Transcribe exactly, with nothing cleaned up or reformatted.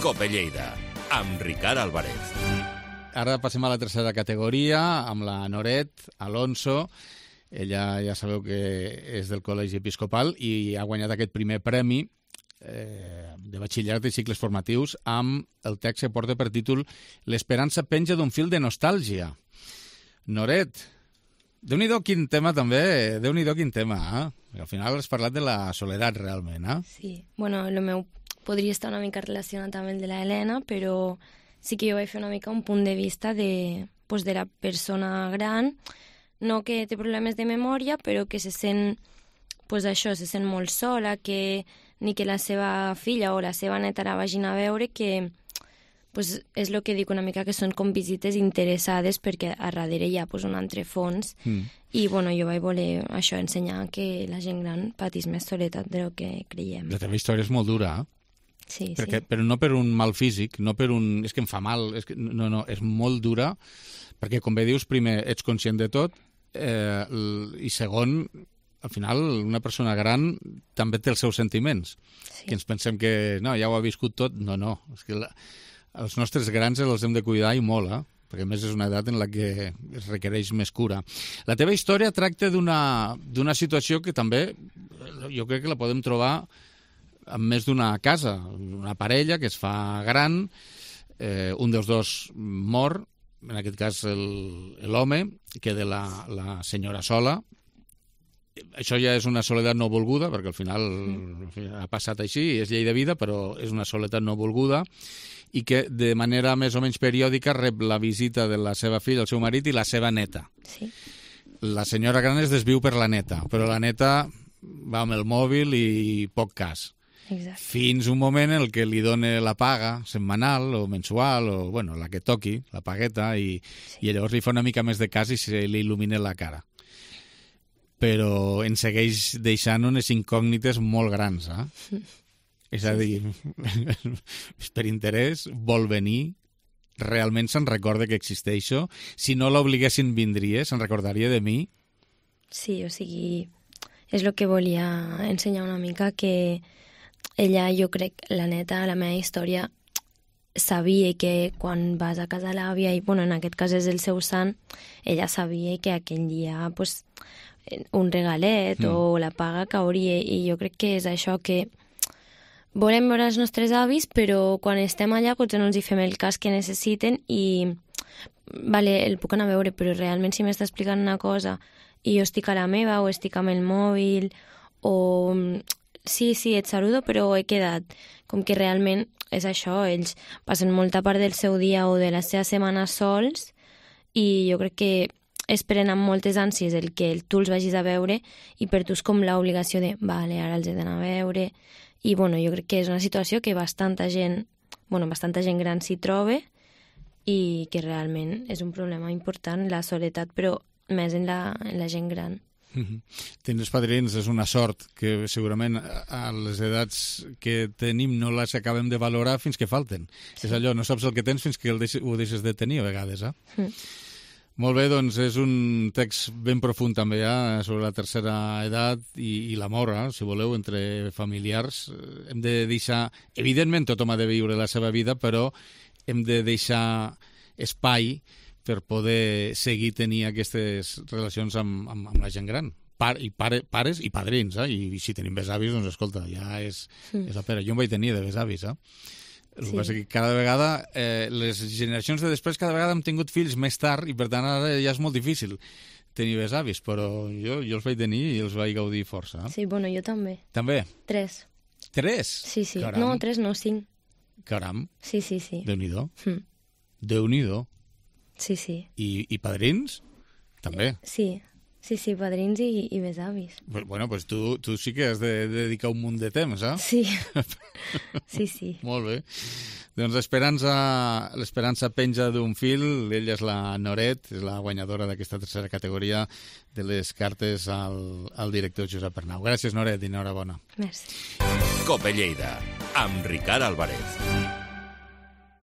Cope Lleida, amb Ricard Álvarez. Ara passem a la tercera categoria, amb la Noret Alonso. Ella ja sabeu que és del Col·legi Episcopal i ha guanyat aquest primer premi eh, de batxillerat i cicles formatius amb el text que porta per títol L'esperança penja d'un fil de nostàlgia. Noret, déu-n'hi-do quin tema també, déu-n'hi-do quin tema, eh? Al final has parlat de la soledat realment, eh? Sí, bueno, el meu podria estar una mica relacionat amb el de la Helena, però sí que jo vaig fer una mica un punt de vista de, pues, de la persona gran, no que té problemes de memòria, però que se sent, pues això, se sent molt sola, que ni que la seva filla o la seva neta la vagin a veure, que pues, és el que dic una mica, que són com visites interessades, perquè a darrere hi ha pues, un altre fons, mm. i bueno, jo vaig voler això, ensenyar que la gent gran patís més soledat del que creiem. La teva història és molt dura, eh? Sí, perquè, sí. Però no per un mal físic, no per un... és que em fa mal, és que, no, no, és molt dura, perquè com bé dius, primer, ets conscient de tot, eh, i segon, al final, una persona gran també té els seus sentiments, sí. Que ens pensem que, no, ja ho ha viscut tot, no, no, és que la, els nostres grans els hem de cuidar i molt, eh? Perquè a més és una edat en la que es requereix més cura. La teva història tracta d'una d'una situació que també, jo crec que la podem trobar amb més d'una casa, una parella que es fa gran, eh, un dels dos mor, en aquest cas l'home, queda la, la senyora sola. Això ja és una soledat no volguda, perquè al final mm. ha passat així, és llei de vida, però és una soledat no volguda, i que de manera més o menys periòdica rep la visita de la seva filla, el seu marit i la seva neta. Sí. La senyora gran es desviu per la neta, però la neta va amb el mòbil i poc cas. Exacte. Fins un moment en què li dona la paga setmanal o mensual o bueno, la que toqui, la pagueta, i, sí. i llavors li fa una mica més de cas i se li il·lumina la cara. Però ens segueix deixant unes incògnites molt grans, eh? Sí. És a dir, per interès, vol venir, realment se'n recorda que existeixo? Si no l'obliguessin vindria, se'n recordaria de mi? Sí, o sigui, és el que volia ensenyar una mica, que ella, jo crec, la neta, la meva història, sabia que quan vas a casa l'àvia, i bueno, en aquest cas és el seu sant, ella sabia que aquell dia pues, un regalet mm. o la paga cauria, i jo crec que és això, que volem veure els nostres avis, però quan estem allà potser no els hi fem el cas que necessiten i, vale, el puc anar a veure, però realment si m'està explicant una cosa i jo estic a la meva o estic amb el mòbil o... Sí, sí, et saludo, però he quedat. Com que realment és això, ells passen molta part del seu dia o de la seva setmana sols i jo crec que esperen amb moltes ànsies el que tu els vagis a veure i per tu és com l'obligació de, vale, ara els he d'anar a veure. I bueno, jo crec que és una situació que bastanta gent, bueno, bastanta gent gran s'hi troba i que realment és un problema important, la soledat, però més en la, en la gent gran. Tindre padrins és una sort que segurament a les edats que tenim no les acabem de valorar fins que falten. Sí. És allò, no saps el que tens fins que el deixes, ho deixes de tenir a vegades, eh? Mm. Molt bé, doncs és un text ben profund també, eh, sobre la tercera edat i, i l'amor, eh, si voleu, entre familiars. Hem de deixar... Evidentment tothom ha de viure la seva vida, però hem de deixar espai per poder seguir tenir aquestes relacions amb, amb, amb la gent gran. Par, i pare, pares i padrins, eh? I, i si tenim besavis, doncs escolta, ja és, mm. és la pera. Jo em vaig tenir de besavis, eh? El que sí. passa que cada vegada, eh, les generacions de després cada vegada hem tingut fills més tard i per tant ara ja és molt difícil tenir besavis, però jo, jo els vaig tenir i els vaig gaudir força. Eh? Sí, bueno, jo també. També? Tres. Tres? Sí, sí. Caram. No, tres no, cinc. Caram. Sí, sí, sí. Déu-n'hi-do. Mm. Déu-n'hi-do. Sí, sí. I, i padrins? També. Sí, sí, sí, padrins i, i besavis. Bueno, doncs tu, tu sí que has de, de dedicar un munt de temps, eh? Sí, sí, sí. Molt bé. Doncs l'esperança penja d'un fil, ella és la Noret, és la guanyadora d'aquesta tercera categoria de les cartes al, al director Josep Arnau. Gràcies, Noret, i enhorabona. Merci. Cope Lleida, amb Ricard Álvarez.